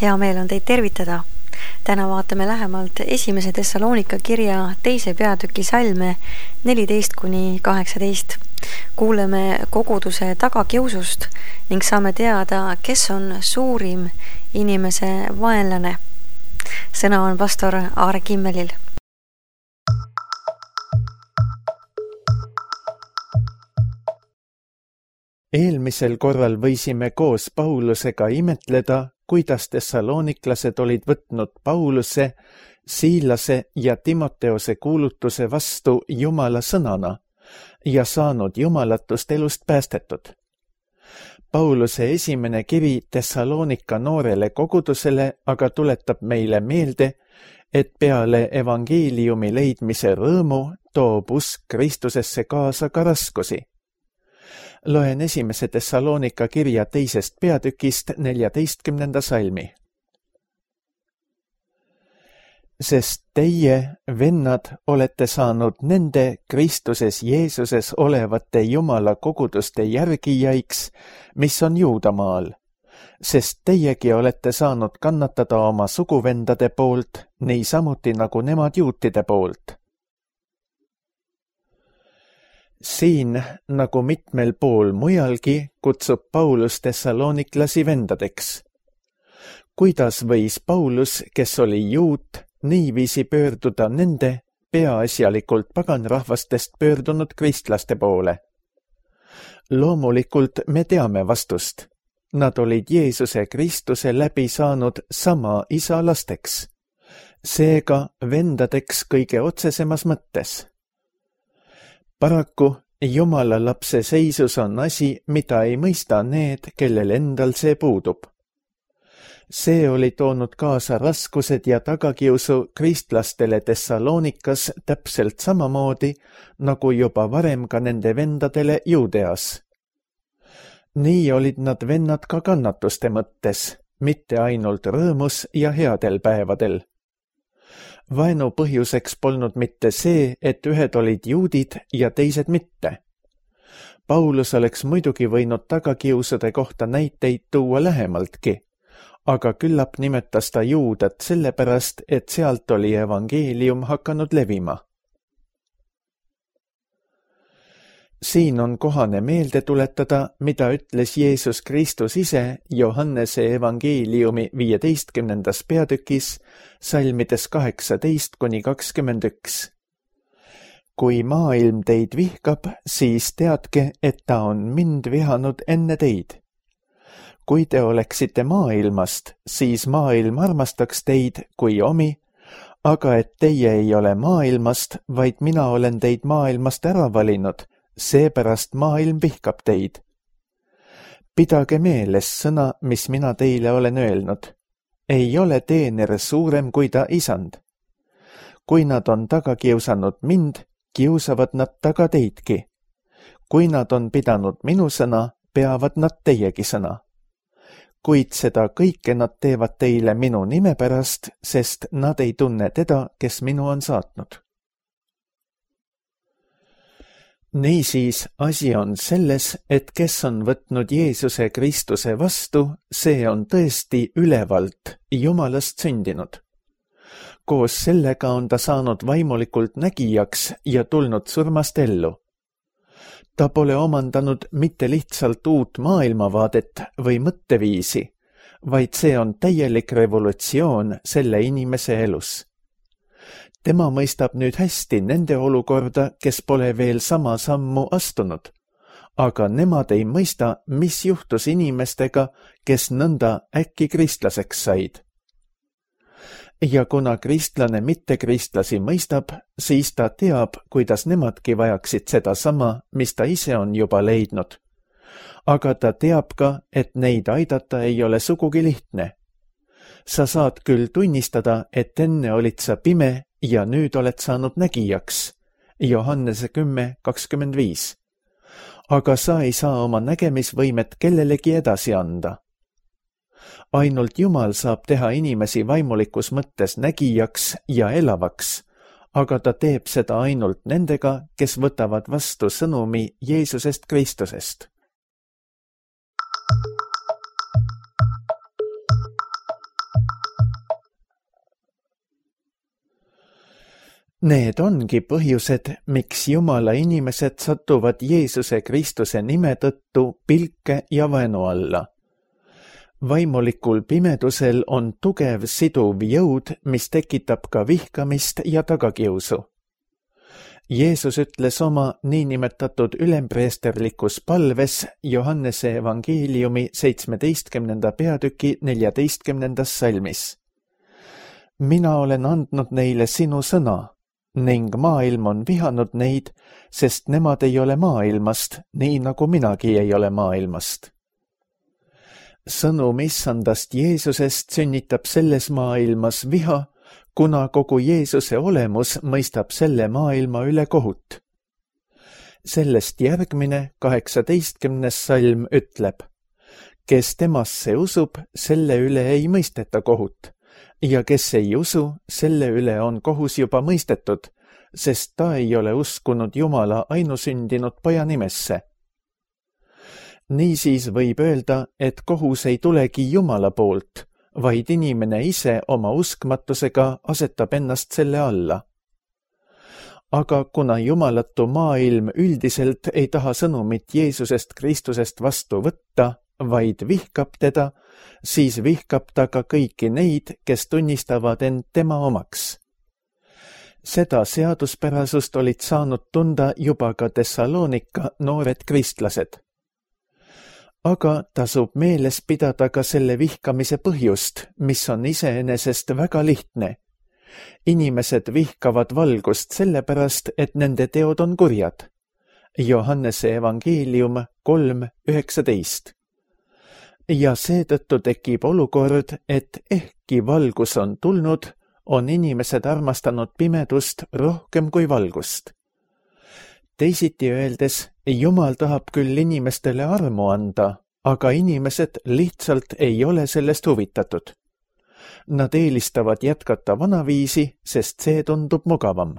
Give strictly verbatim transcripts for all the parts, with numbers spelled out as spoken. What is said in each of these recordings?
Hea meel on teid tervitada. Täna vaatame lähemalt esimese Thessalonika kirja teise peatüki salme neliteist kuni kaheksateist. Kuuleme koguduse tagakiusust ning saame teada, kes on suurim inimese vaenlane. Sõna on pastor Aare Kimmelil. Eelmisel korral võisime koos Paulusega imetleda, kuidas tessaloniklased olid võtnud Pauluse, Siilase ja Timoteose kuulutuse vastu Jumala sõnana ja saanud jumalatust elust päästetud. Pauluse esimene kiri Thessalonika noorele kogudusele aga tuletab meile meelde, et peale evangeeliumi leidmise rõõmu toob usk Kristusesse kaasa ka raskusi. Loen esimese Thessalonika kirja teisest peatükist neljateistkümnenda salmi. Sest teie, vennad, olete saanud nende Kristuses Jeesuses olevate Jumala koguduste järgijaiks, mis on Juudamaal, sest teiegi olete saanud kannatada oma suguvendade poolt, nii samuti nagu nemad juutide poolt. Siin, nagu mitmel pool mujalgi, kutsub Paulus tessaloniklasi vendadeks. Kuidas võis Paulus, kes oli juut, niiviisi pöörduda nende peaasjalikult paganrahvastest pöördunud kristlaste poole? Loomulikult me teame vastust. Nad olid Jeesuse Kristuse läbi saanud sama isa lasteks, seega vendadeks kõige otsesemas mõttes. Paraku Jumala lapse seisus on asi, mida ei mõista need, kellel endal see puudub. See oli toonud kaasa raskused ja tagakiusu kristlastele Thessalonikas täpselt samamoodi, nagu juba varem ka nende vendadele Juudeas. Nii olid nad vennad ka kannatuste mõttes, mitte ainult rõõmus ja headel päevadel. Vaenu põhjuseks polnud mitte see, et ühed olid juudid ja teised mitte. Paulus oleks muidugi võinud tagakiusude kohta näiteid tuua lähemaltki, aga küllap nimetas ta Juudat sellepärast, et sealt oli evangeelium hakanud levima. Siin on kohane meelde tuletada, mida ütles Jeesus Kristus ise Johannese evangeeliumi viieteistkümnendas peatükis, salmides kaheksateist kuni kakskümmend üks. Kui maailm teid vihkab, siis teadke, et ta on mind vihanud enne teid. Kui te oleksite maailmast, siis maailm armastaks teid kui omi, aga et teie ei ole maailmast, vaid mina olen teid maailmast ära valinud, seepärast maailm vihkab teid. Pidage meeles sõna, mis mina teile olen öelnud. Ei ole teener suurem kui ta isand. Kui nad on taga kiusanud mind, kiusavad nad taga teidki. Kui nad on pidanud minu sõna, peavad nad teiegi sõna. Kuid seda kõike nad teevad teile minu nime pärast, sest nad ei tunne teda, kes minu on saatnud. Niisiis, asi on selles, et kes on võtnud Jeesuse Kristuse vastu, see on tõesti ülevalt Jumalast sündinud. Koos sellega on ta saanud vaimulikult nägijaks ja tulnud surmast ellu. Ta pole omandanud mitte lihtsalt uut maailmavaadet või mõtteviisi, vaid see on täielik revolutsioon selle inimese elus. Tema mõistab nüüd hästi nende olukorda, kes pole veel sama sammu astunud, aga nemad ei mõista, mis juhtus inimestega, kes nõnda äkki kristlaseks said. Ja kuna kristlane mittekristlasi mõistab, siis ta teab, kuidas nemadki vajaksid seda sama, mis ta ise on juba leidnud. Aga ta teab ka, et neid aidata ei ole sugugi lihtne. Sa saad küll tunnistada, et enne olid sa pime ja nüüd oled saanud nägijaks, Johannese kümme kakskümmend viis. Aga sa ei saa oma nägemisvõimet kellelegi edasi anda. Ainult Jumal saab teha inimesi vaimulikus mõttes nägijaks ja elavaks, aga ta teeb seda ainult nendega, kes võtavad vastu sõnumi Jeesusest Kristusest. Need ongi põhjused, miks Jumala inimesed satuvad Jeesuse Kristuse nime tõttu pilke ja vaenu alla. Vaimulikul pimedusel on tugev siduv jõud, mis tekitab ka vihkamist ja tagakiusu. Jeesus ütles oma niinimetatud ülempreesterlikus palves Johannese evangeeliumi seitsmeteistkümnenda peatüki neljateistkümnendas salmis. Mina olen andnud neile sinu sõna, ning maailm on vihanud neid, sest nemad ei ole maailmast, nii nagu minagi ei ole maailmast. Sõnum issandast Jeesusest sünnitab selles maailmas viha, kuna kogu Jeesuse olemus mõistab selle maailma üle kohut. Sellest järgmine kaheksateistkümnes salm ütleb, kes temasse usub, selle üle ei mõisteta kohut, ja kes ei usu, selle üle on kohus juba mõistetud, sest ta ei ole uskunud Jumala ainusündinud poja nimesse. Niisiis võib öelda, et kohus ei tulegi Jumala poolt, vaid inimene ise oma uskmatusega asetab ennast selle alla. Aga kuna jumalatu maailm üldiselt ei taha sõnumit Jeesusest Kristusest vastu võtta, vaid vihkab teda, siis vihkab ta ka kõiki neid, kes tunnistavad end tema omaks. Seda seaduspärasust olid saanud tunda juba ka Thessalonika noored kristlased. Aga tasub meeles pidada ka selle vihkamise põhjust, mis on iseenesest väga lihtne. Inimesed vihkavad valgust sellepärast, et nende teod on kurjad. Johannese evangeelium kolm üheksateist. Ja seetõttu tekib olukord, et ehkki valgus on tulnud, on inimesed armastanud pimedust rohkem kui valgust. Teisiti öeldes, Jumal tahab küll inimestele armu anda, aga inimesed lihtsalt ei ole sellest huvitatud. Nad eelistavad jätkata vanaviisi, sest see tundub mugavam.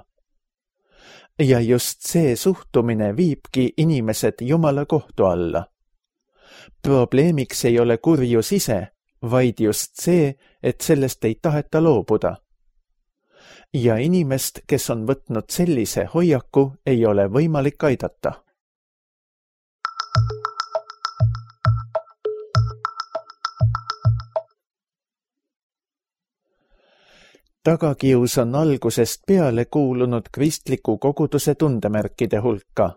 Ja just see suhtumine viibki inimesed Jumala kohtu alla. Probleemiks ei ole kurjus ise, vaid just see, et sellest ei taheta loobuda. Ja inimest, kes on võtnud sellise hoiaku, ei ole võimalik aidata. Tagakius on algusest peale kuulunud kristliku koguduse tundemärkide hulka.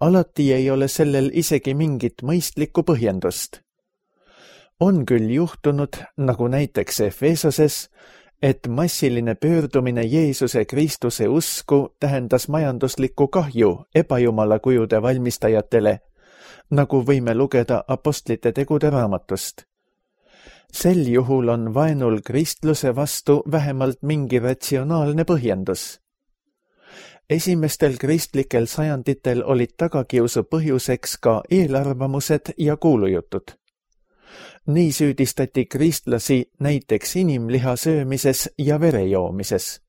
Alati ei ole sellel isegi mingit mõistlikku põhjendust. On küll juhtunud, nagu näiteks Efesoses, et massiline pöördumine Jeesuse Kristuse usku tähendas majanduslikku kahju ebajumala kujude valmistajatele, nagu võime lugeda apostlite tegude raamatust. Sel juhul on vaenul kristluse vastu vähemalt mingi ratsionaalne põhjendus. Esimestel kristlikel sajanditel olid tagakiusu põhjuseks ka eelarvamused ja kuulujutud. Nii süüdistati kristlasi näiteks inimliha söömises ja verejoomises.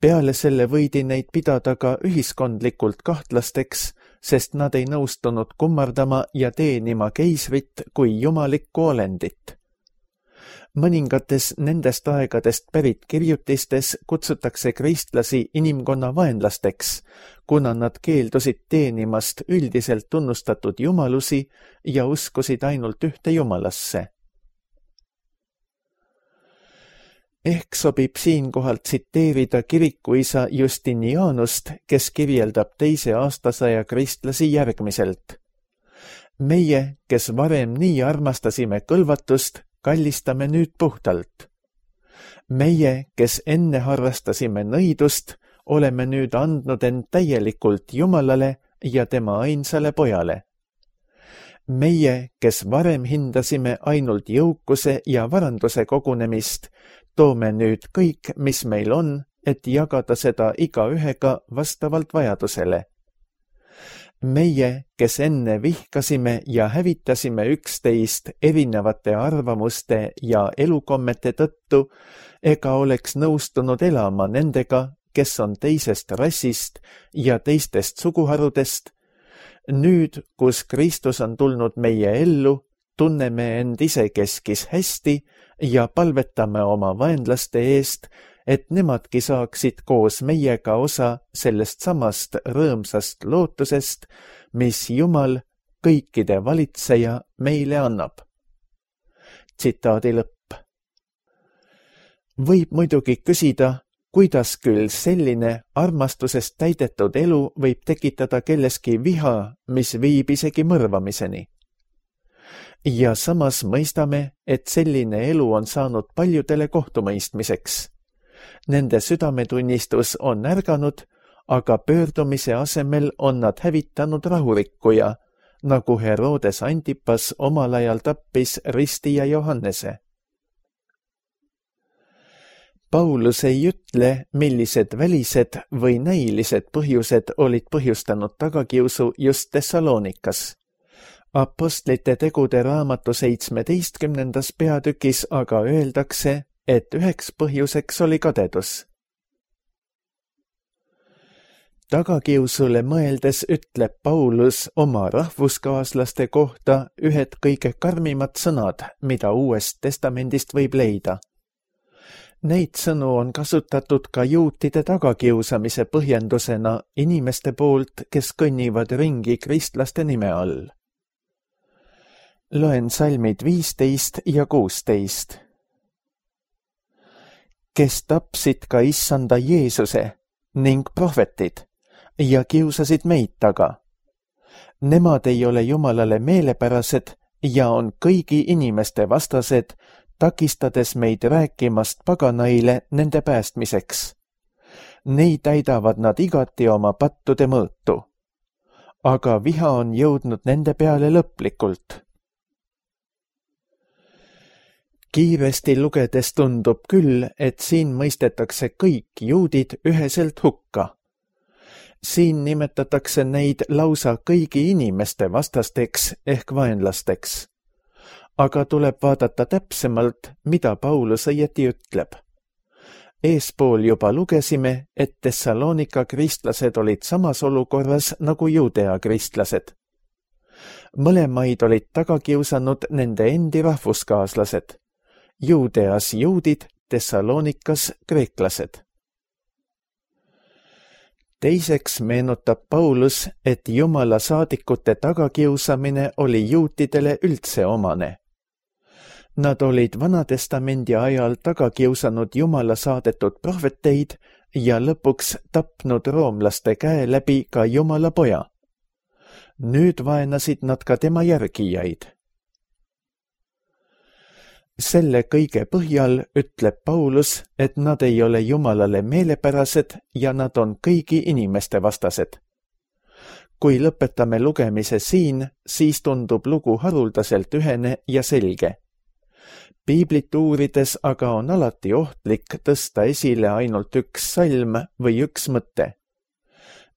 Peale selle võidi neid pidada ka ühiskondlikult kahtlasteks, sest nad ei nõustunud kummardama ja teenima keisrit kui jumalikku olendit. Mõningates nendest aegadest pärit kirjutistes kutsutakse kristlasi inimkonna vaenlasteks, kuna nad keeldusid teenimast üldiselt tunnustatud jumalusi ja uskusid ainult ühte jumalasse. Ehk sobib siinkohal tsiteerida kirikuisa Justinianust, kes kirjeldab teise aastasaja kristlasi järgmiselt. Meie, kes varem nii armastasime kõlvatust, kallistame nüüd puhtalt. Meie, kes enne harrastasime nõidust, oleme nüüd andnud end täielikult Jumalale ja tema ainsale pojale. Meie, kes varem hindasime ainult jõukuse ja varanduse kogunemist, toome nüüd kõik, mis meil on, et jagada seda igaühega vastavalt vajadusele. Meie, kes enne vihkasime ja hävitasime üksteist erinevate arvamuste ja elukommete tõttu, ega oleks nõustunud elama nendega, kes on teisest rassist ja teistest suguharudest, nüüd, kus Kristus on tulnud meie ellu, tunneme end isekeskis hästi ja palvetame oma vaenlaste eest, et nemadki saaksid koos meiega osa sellest samast rõõmsast lootusest, mis Jumal, kõikide valitseja, meile annab. Tsitaadi lõpp. Võib muidugi küsida, kuidas küll selline armastusest täidetud elu võib tekitada kelleski viha, mis viib isegi mõrvamiseni. Ja samas mõistame, et selline elu on saanud paljudele kohtumõistmiseks. Nende südametunnistus on ärganud, aga pöördumise asemel on nad hävitanud rahurikkuja, nagu Herodes Antipas omal ajal tappis ristija Johannese. Paulus ei ütle, millised välised või näilised põhjused olid põhjustanud tagakiusu just Thessalonikas. Apostlite tegude raamatu seitsmeteistkümnendas peatükis aga öeldakse, et üheks põhjuseks oli kadedus. Tagakiusule mõeldes ütleb Paulus oma rahvuskaaslaste kohta ühed kõige karmimad sõnad, mida Uuest Testamendist võib leida. Neid sõnu on kasutatud ka juutide tagakiusamise põhjendusena inimeste poolt, kes kõnnivad ringi kristlaste nime all. Loen salmid viisteist ja kuusteist. Kes tapsid ka issanda Jeesuse ning prohvetid ja kiusasid meid taga. Nemad ei ole Jumalale meelepärased ja on kõigi inimeste vastased, takistades meid rääkimast paganaile nende päästmiseks. Neid täidavad nad igati oma pattude mõõtu. Aga viha on jõudnud nende peale lõplikult. Kiiresti lugedes tundub küll, et siin mõistetakse kõik juudid üheselt hukka. Siin nimetatakse neid lausa kõigi inimeste vastasteks ehk vaenlasteks. Aga tuleb vaadata täpsemalt, mida Paulus õieti ütleb. Eespool juba lugesime, et Thessalonika kristlased olid samas olukorras nagu Judea kristlased. Mõlemaid olid taga kiusanud nende endi rahvuskaaslased. Judeas juudid, Thessalonikas kreeklased. Teiseks meenutab Paulus, et Jumala saadikute tagakiusamine oli juutidele üldse omane. Nad olid Vanatestamendi ajal taga kiusanud Jumala saadetud prohveteid ja lõpuks tapnud roomlaste käe läbi ka Jumala poja. Nüüd vaenasid nad ka tema järgijaid. Selle kõige põhjal ütleb Paulus, et nad ei ole Jumalale meelepärased ja nad on kõigi inimeste vastased. Kui lõpetame lugemise siin, siis tundub lugu haruldaselt ühene ja selge. Piiblit uurides aga on alati ohtlik tõsta esile ainult üks salm või üks mõte.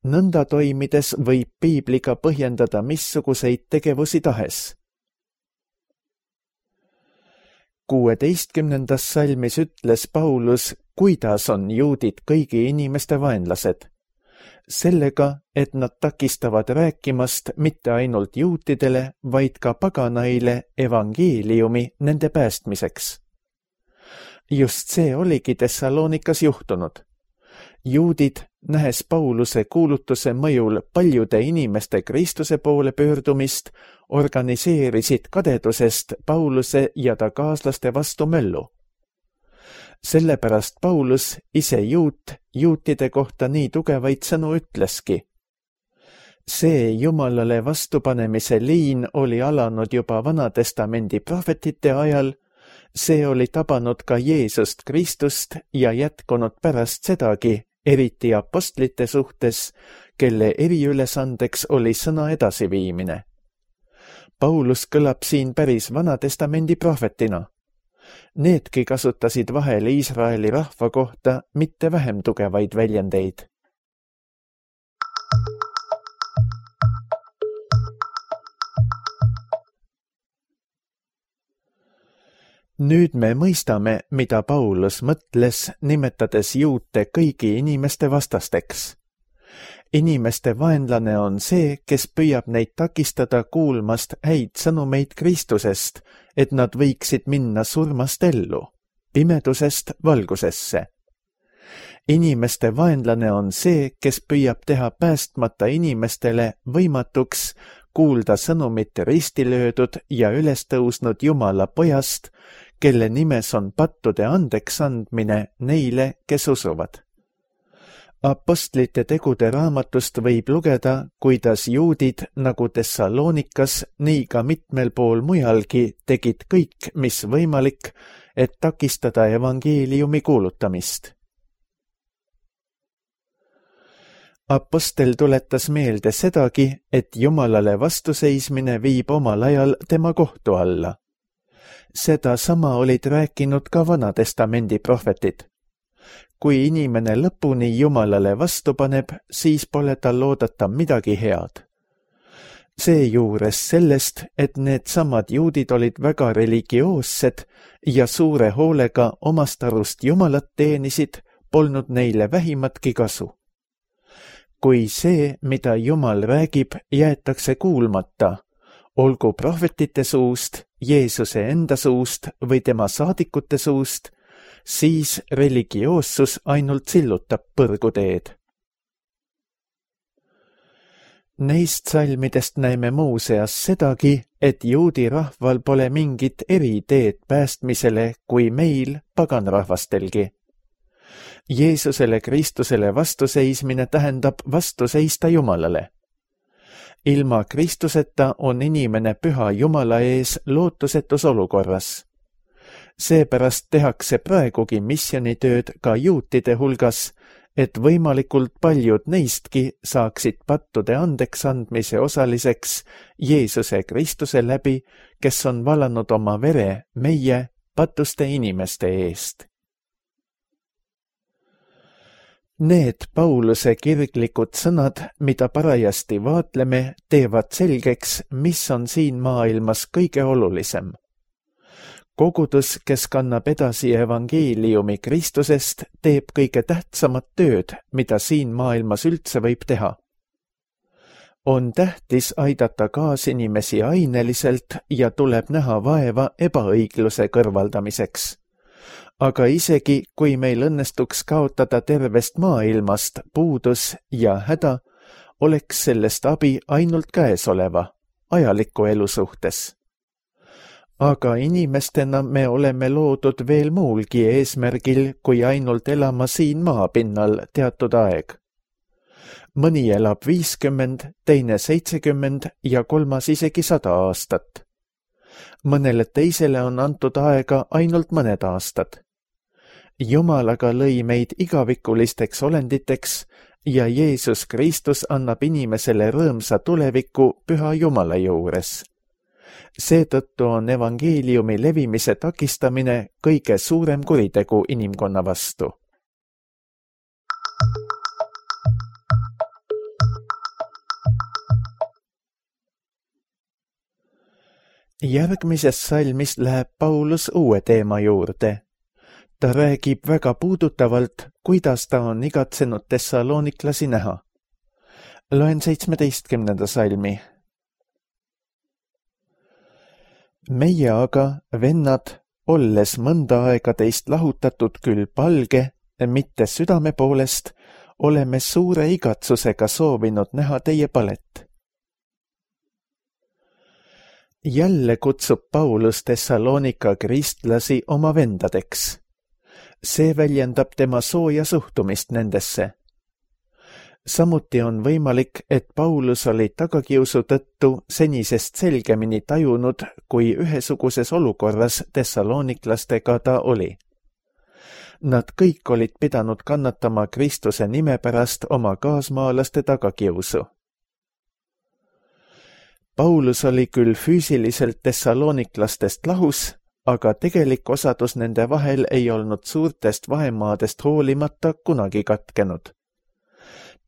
Nõnda toimides võib piibliga põhjendada missuguseid tegevusi tahes. Kuueteistkümnendas salmis ütles Paulus, kuidas on juudid kõigi inimeste vaenlased. Sellega, et nad takistavad rääkimast mitte ainult juutidele, vaid ka paganaile evangeeliumi nende päästmiseks. Just see oligi Thessalonikas juhtunud. Juudid, nähes Pauluse kuulutuse mõjul paljude inimeste Kristuse poole pöördumist, organiseerisid kadedusest Pauluse ja ta kaaslaste vastu möllu. Sellepärast Paulus, ise juut, juutide kohta nii tugevaid sõnu ütleski. See Jumalale vastupanemise liin oli alanud juba Vanatestamendi prohvetite ajal, see oli tabanud ka Jeesust Kristust ja jätkunud pärast sedagi, eriti apostlite suhtes, kelle eriülesandeks oli sõna edasiviimine. Paulus kõlab siin päris Vanatestamendi prohvetina. Needki kasutasid vahel Iisraeli rahva kohta mitte vähem tugevaid väljendeid. Nüüd me mõistame, mida Paulus mõtles, nimetades juute kõigi inimeste vastasteks. Inimeste vaenlane on see, kes püüab neid takistada kuulmast häid sõnumeid Kristusest, et nad võiksid minna surmast ellu, pimedusest valgusesse. Inimeste vaenlane on see, kes püüab teha päästmata inimestele võimatuks kuulda sõnumit ristilöödud ja üles tõusnud Jumala pojast, kelle nimes on pattude andeks andmine neile, kes usuvad. Apostlite tegude raamatust võib lugeda, kuidas juudid nagu Thessaloonikas, nii ka mitmel pool mujalgi tegid kõik, mis võimalik, et takistada evangeeliumi kuulutamist. Apostel tuletas meelde sedagi, et Jumalale vastuseismine viib omal ajal tema kohtu alla. Seda sama olid rääkinud ka Vanatestamendi prohvetid. Kui inimene lõpuni Jumalale vastu paneb, siis pole tal oodata midagi head. Seejuures sellest, et need samad juudid olid väga religioossed ja suure hoolega omast arust Jumalat teenisid, polnud neile vähimatki kasu. Kui see, mida Jumal räägib, jäetakse kuulmata, olgu prohvetite suust, Jeesuse enda suust või tema saadikute suust, siis religioossus ainult sillutab põrguteed. Neist salmidest näeme muuseas sedagi, et juudi rahval pole mingit eriteed päästmisele kui meil paganrahvastelgi. Jeesusele Kristusele vastuseismine tähendab vastuseista Jumalale. Ilma Kristuseta on inimene püha Jumala ees lootusetus olukorras. Seepärast tehakse praegugi missionitööd ka juutide hulgas, et võimalikult paljud neistki saaksid pattude andeks andmise osaliseks Jeesuse Kristuse läbi, kes on valanud oma vere meie patuste inimeste eest. Need Pauluse kirglikud sõnad, mida parajasti vaatleme, teevad selgeks, mis on siin maailmas kõige olulisem. Kogudus, kes kannab edasi evangeeliumi Kristusest, teeb kõige tähtsamat tööd, mida siin maailmas üldse võib teha. On tähtis aidata kaasinimesi aineliselt ja tuleb näha vaeva ebaõigluse kõrvaldamiseks. Aga isegi, kui meil õnnestuks kaotada tervest maailmast puudus ja häda, oleks sellest abi ainult käesoleva, ajaliku elu suhtes. Aga inimestena me oleme loodud veel muulgi eesmärgil, kui ainult elama siin maapinnal teatud aeg. Mõni elab viiskümmend, teine seitsekümmend ja kolmas isegi sada aastat. Mõnele teisele on antud aega ainult mõned aastad. Jumal aga lõi meid igavikulisteks olenditeks ja Jeesus Kristus annab inimesele rõõmsa tuleviku püha Jumala juures. Seetõttu on evangeeliumi levimise takistamine kõige suurem kuritegu inimkonna vastu. Järgmises salmis läheb Paulus uue teema juurde. Ta räägib väga puudutavalt, kuidas ta on igatsenud Thessaloniklasi näha. Loen seitsmeteistkümnenda salmi. Meie aga, vennad, olles mõnda aega teist lahutatud küll palge, mitte südame poolest, oleme suure igatsusega soovinud näha teie palet. Jälle kutsub Paulus Thessalonika kristlasi oma vendadeks. See väljendab tema sooja suhtumist nendesse. Samuti on võimalik, et Paulus oli tagakiusu tõttu senisest selgemini tajunud, kui ühesuguses olukorras Thessaloniklastega ta oli. Nad kõik olid pidanud kannatama Kristuse nime pärast oma kaasmaalaste tagakiusu. Paulus oli küll füüsiliselt Thessaloniklastest lahus, aga tegelik osadus nende vahel ei olnud suurtest vahemaadest hoolimata kunagi katkenud.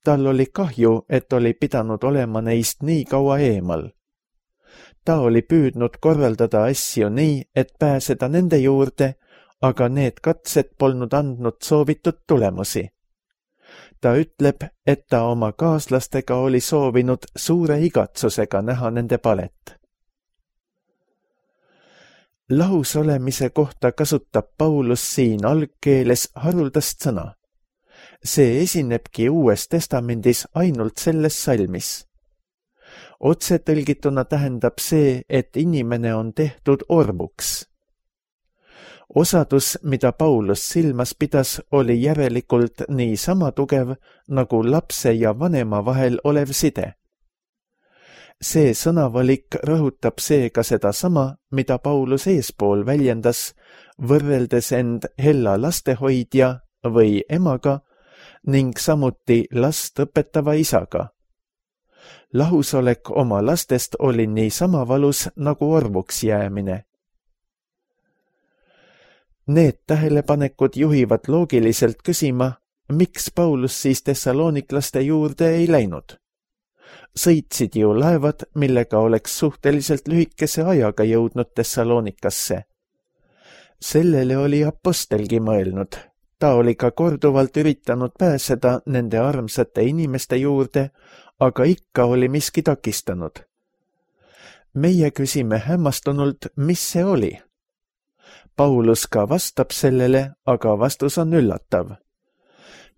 Tal oli kahju, et oli pidanud olema neist nii kaua eemal. Ta oli püüdnud korraldada asju nii, et pääseda nende juurde, aga need katsed polnud andnud soovitud tulemusi. Ta ütleb, et ta oma kaaslastega oli soovinud suure igatsusega näha nende palet. Lahus olemise kohta kasutab Paulus siin algkeeles haruldast sõna. See esinebki Uues Testamendis ainult selles salmis. Otse tõlgituna tähendab see, et inimene on tehtud orvuks. Osadus, mida Paulus silmas pidas, oli järelikult nii sama tugev nagu lapse ja vanema vahel olev side. See sõnavalik rõhutab seega seda sama, mida Paulus eespool väljendas, võrreldes end hella lastehoidja või emaga ning samuti last õpetava isaga. Lahusolek oma lastest oli nii sama valus nagu orvuks jäämine. Need tähelepanekud juhivad loogiliselt küsima, miks Paulus siis tessaloniklaste juurde ei läinud. Sõitsid ju laevad, millega oleks suhteliselt lühikese ajaga jõudnud Tessalonikasse. Sellele oli apostelgi mõelnud. Ta oli ka korduvalt üritanud pääseda nende armsate inimeste juurde, aga ikka oli miski takistanud. Meie küsime hämmastunult, mis see oli. Paulus ka vastab sellele, aga vastus on üllatav.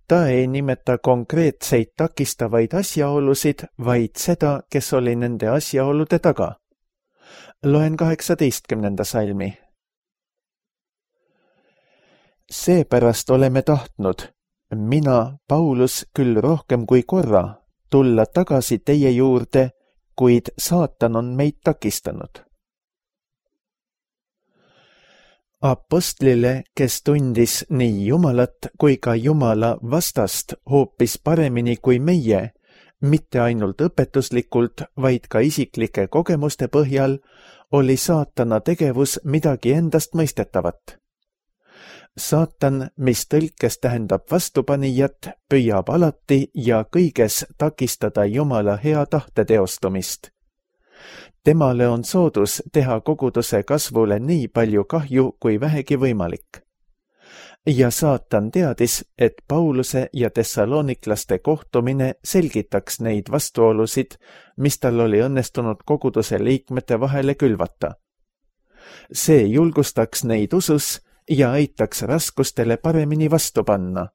Ta ei nimeta konkreetseid takistavaid asjaolusid, vaid seda, kes oli nende asjaolude taga. Loen kaheksateistkümnenda salmi. Seepärast oleme tahtnud, mina, Paulus, küll rohkem kui korra, tulla tagasi teie juurde, kuid saatan on meid takistanud. Apostlile, kes tundis nii Jumalat kui ka Jumala vastast hoopis paremini kui meie, mitte ainult õpetuslikult, vaid ka isiklike kogemuste põhjal, oli saatana tegevus midagi endast mõistetavat. Saatan, mis tõlkes tähendab vastupanijat, püüab alati ja kõiges takistada Jumala hea tahte teostumist. Temale on soodus teha koguduse kasvule nii palju kahju kui vähegi võimalik. Ja saatan teadis, et Pauluse ja tessaloniklaste kohtumine selgitaks neid vastuolusid, mis tal oli õnnestunud koguduse liikmete vahele külvata. See julgustaks neid usus ja aitaks raskustele paremini vastu panna.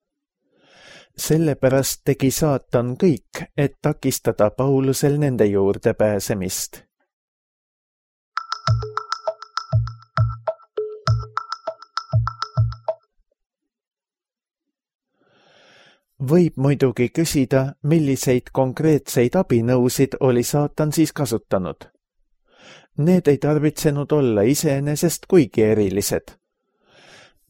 Sellepärast tegi saatan kõik, et takistada Paulusel nende juurde pääsemist. Võib muidugi küsida, milliseid konkreetseid abinõusid oli saatan siis kasutanud. Need ei tarvitsenud olla iseenesest kuigi erilised.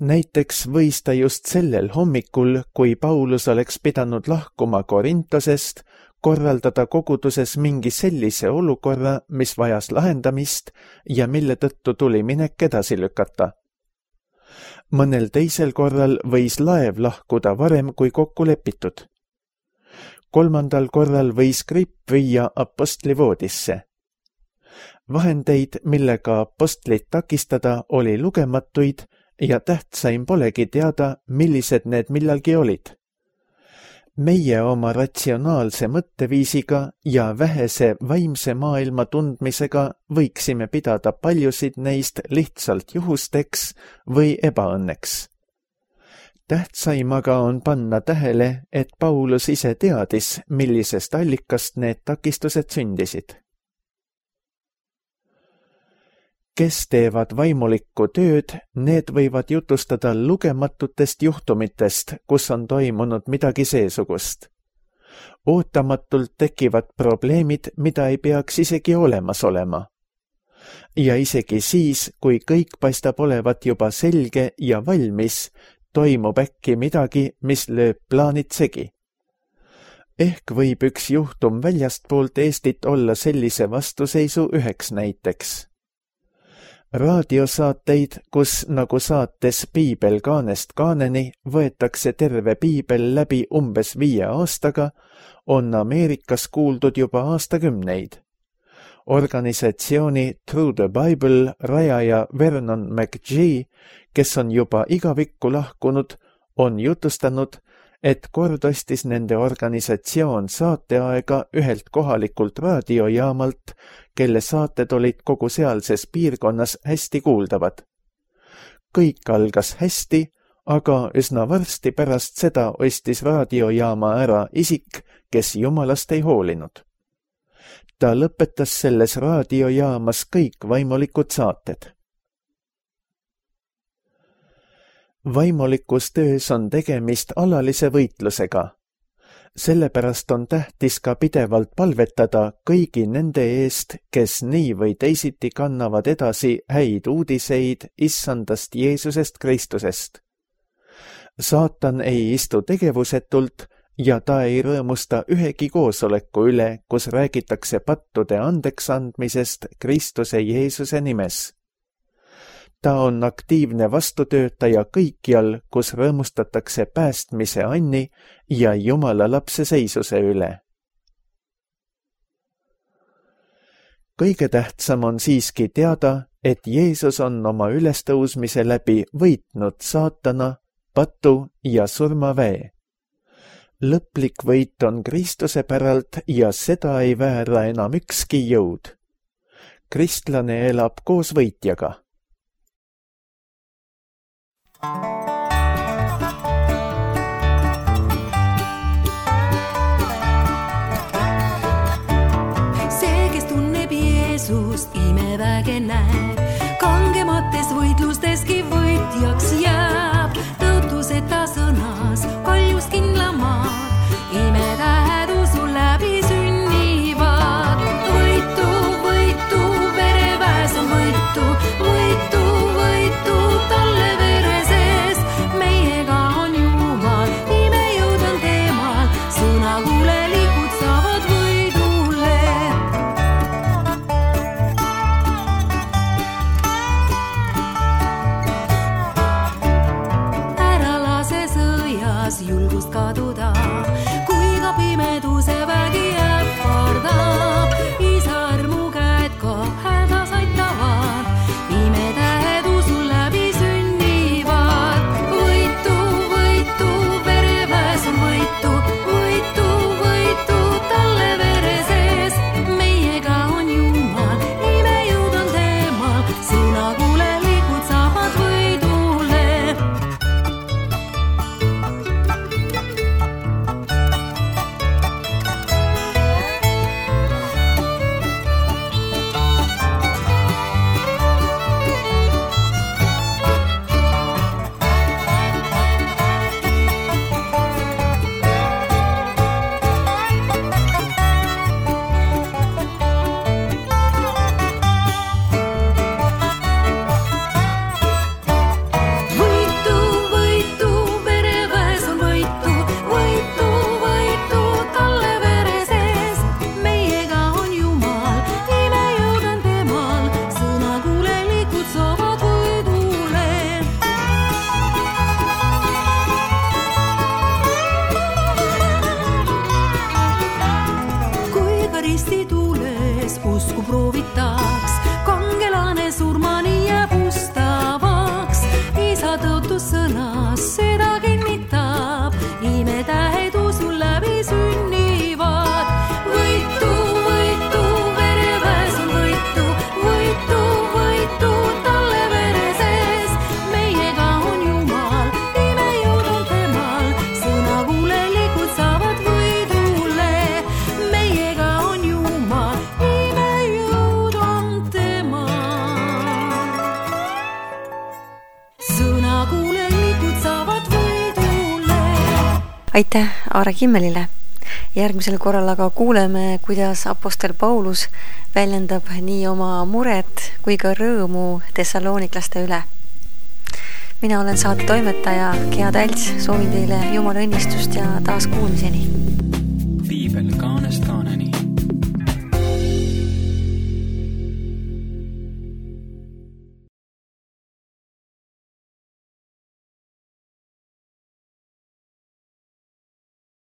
Näiteks võis ta just sellel hommikul, kui Paulus oleks pidanud lahkuma Korintosest, korraldada koguduses mingi sellise olukorra, mis vajas lahendamist ja mille tõttu tuli minek edasi lükata. Mõnel teisel korral võis laev lahkuda varem kui kokku lepitud. Kolmandal korral võis gripp viia apostli voodisse. Vahendeid, millega apostlit takistada, oli lugematuid ja tähtsaim polegi teada, millised need millalgi olid. Meie oma ratsionaalse mõtteviisiga ja vähese vaimse maailma tundmisega võiksime pidada paljusid neist lihtsalt juhusteks või ebaõnneks. Tähtsaim aga on panna tähele, et Paulus ise teadis, millisest allikast need takistused sündisid. Kes teevad vaimulikku tööd, need võivad jutustada lugematutest juhtumitest, kus on toimunud midagi seesugust. Ootamatult tekivad probleemid, mida ei peaks isegi olemas olema. Ja isegi siis, kui kõik paistab olevat juba selge ja valmis, toimub äkki midagi, mis lööb plaanid segi. Ehk võib üks juhtum väljastpoolt Eestit olla sellise vastuseisu üheks näiteks. Raadiosaateid, kus nagu saates Piibel kaanest kaaneni võetakse terve piibel läbi umbes viie aastaga, on Ameerikas kuuldud juba aastakümneid. Organisatsiooni Through the Bible rajaja Vernon McGee, kes on juba igavikku lahkunud, on jutustanud, et kord ostis nende organisatsioon saateaega ühelt kohalikult raadiojaamalt, kelle saated olid kogu sealses piirkonnas hästi kuuldavad. Kõik algas hästi, aga üsna varsti pärast seda ostis raadiojaama ära isik, kes jumalast ei hoolinud. Ta lõpetas selles raadiojaamas kõik vaimulikud saated. Vaimulikus töös on tegemist alalise võitlusega. Sellepärast on tähtis ka pidevalt palvetada kõigi nende eest, kes nii või teisiti kannavad edasi häid uudiseid issandast Jeesusest Kristusest. Saatan ei istu tegevusetult ja ta ei rõõmusta ühegi koosoleku üle, kus räägitakse pattude andeks andmisest Kristuse Jeesuse nimes. Ta on aktiivne vastutöötaja kõikjal, kus rõõmustatakse päästmise anni ja Jumala lapse seisuse üle. Kõige tähtsam on siiski teada, et Jeesus on oma ülestõusmise läbi võitnud saatana, patu ja surmaväe. Lõplik võit on Kristuse päralt ja seda ei väära enam ükski jõud. Kristlane elab koos võitjaga. See, kes tunneb Jeesust, imeväge näeb, kangemates võitlusteski võitjaks jääb. Tõotuseta sõnas, kaljus kindlamaad, imetähed usu läbi sünnivad. Võitu, võitu, vereväes on võitu, võitu, võitu talle vere sees. Meiega on Jumal, imejõud on temal, sõna kuulelikud saavad võidule. Ära lase sõjas julgust kaduda, kui ka pimeduse vägi ähvardab. Isa armu käed ka hädas aitavad, imetähed usu läbi sünnivad. Võitu, võitu, vereväes on võitu, võitu, võitu talle vere sees. Meiega on Jumal, imejõud on temal, sõna kuulelikud saavad võidule. Võitu, võitu, vereväes on võitu, võitu, võitu talle vere sees. Meiega on Jumal, imejõud on temal, sõna kuulelikud saavad võidule. Kui ka ristituules usku proovitaks, kangelane surmani jääb ustavaks. Isa tõotus sõnas seda kinnitab, imetähed usu läbi sünnivad. Võitu, võitu, vereväes on võitu, võitu, võitu talle vere sees. Meiega on Jumal, imejõud on temal, sõna kuulelikud saavad võidule. Meiega on Jumal, imejõud on temal, sõna kuulelikud saavad võidule. Aitäh Aare Kimmelile. Järgmisel korral aga kuuleme, kuidas apostel Paulus väljendab nii oma muret kui ka rõõmu tessalooniklaste üle. Mina olen saate toimetaja Gea Talts, soovin teile Jumala õnnistust ja taas kuulmiseni. Piibel kaanest